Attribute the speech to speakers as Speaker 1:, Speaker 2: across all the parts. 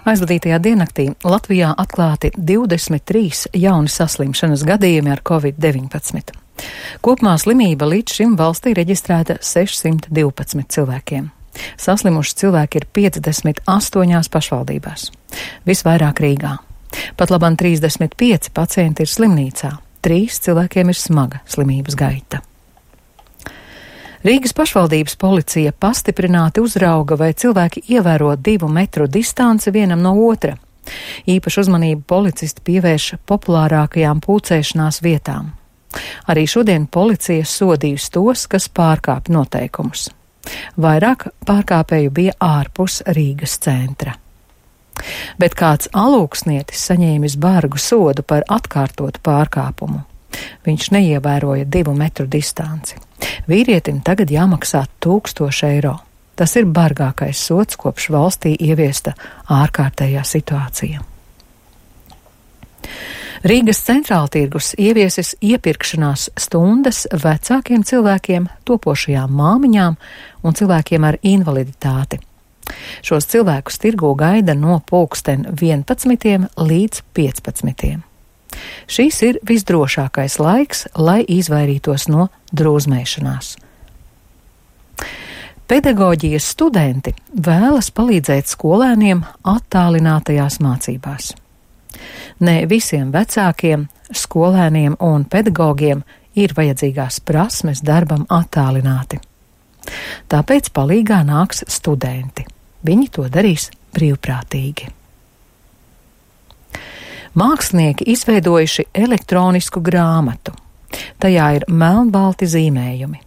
Speaker 1: Aizvadītajā diennaktī Latvijā atklāti 23 jauni saslimšanas gadījumi ar Covid-19. Kopumā slimība līdz šim valstī reģistrēta 612 cilvēkiem. Saslimuši cilvēki ir 58 pašvaldībās. Visvairāk Rīgā. Pat labam 35 pacienti ir slimnīcā. 3 cilvēkiem ir smaga slimības gaita. Rīgas pašvaldības policija pastiprināti uzrauga, vai cilvēki ievēro 2 metru distanci vienam no otra. Īpašu uzmanību policisti pievērš populārākajām pulcēšanās vietām. Arī šodien policija sodījusi tos, kas pārkāpj noteikumus. Vairāk pārkāpēju bija ārpus Rīgas centra. Bet kāds alūksnietis saņēmis bargu sodu par atkārtotu pārkāpumu. Viņš neievēroja 2 metru distanci. Vīrietim tagad jāmaksā 1000 eiro. Tas ir bargākais sods, kopš valstī ieviesta ārkārtējā situācija. Rīgas centrāltirgus ieviesis iepirkšanās stundas vecākiem cilvēkiem, topošajām māmiņām un cilvēkiem ar invaliditāti. Šos cilvēkus tirgū gaida no pulksten 11 līdz 15. Šis ir visdrošākais laiks, lai izvairītos no drūzmēšanās. Pedagoģijas studenti vēlas palīdzēt skolēniem attālinātajās mācībās. Ne visiem vecākiem, skolēniem un pedagogiem ir vajadzīgās prasmes darbam attālināti. Tāpēc palīgā nāks studenti. Viņi to darīs brīvprātīgi. Mākslinieki izveidojuši elektronisku grāmatu. Tajā ir melnbalti zīmējumi.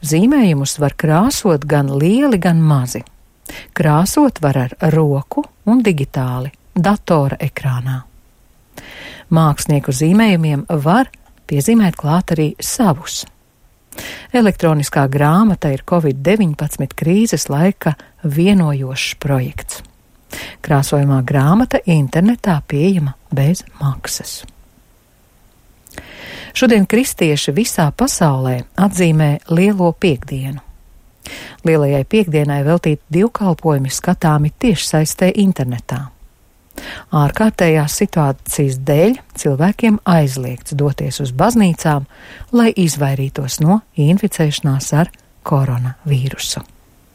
Speaker 1: Zīmējumus var krāsot gan lieli, gan mazi. Krāsot var ar roku un digitāli, datora ekrānā. Mākslinieku zīmējumiem var piezīmēt klāt arī savus. Elektroniskā grāmata ir Covid-19 krīzes laika vienojošs projekts. Krāsojamā grāmata internetā pieejama bez maksas. Šodien kristieši visā pasaulē atzīmē Lielo Piektdienu. Lielajai Piektdienai veltīti dievkalpojumi skatāmi tiešsaistē internetā. Ārkārtējās situācijas dēļ cilvēkiem aizliegts doties uz baznīcām, lai izvairītos no inficēšanās ar koronavīrusu.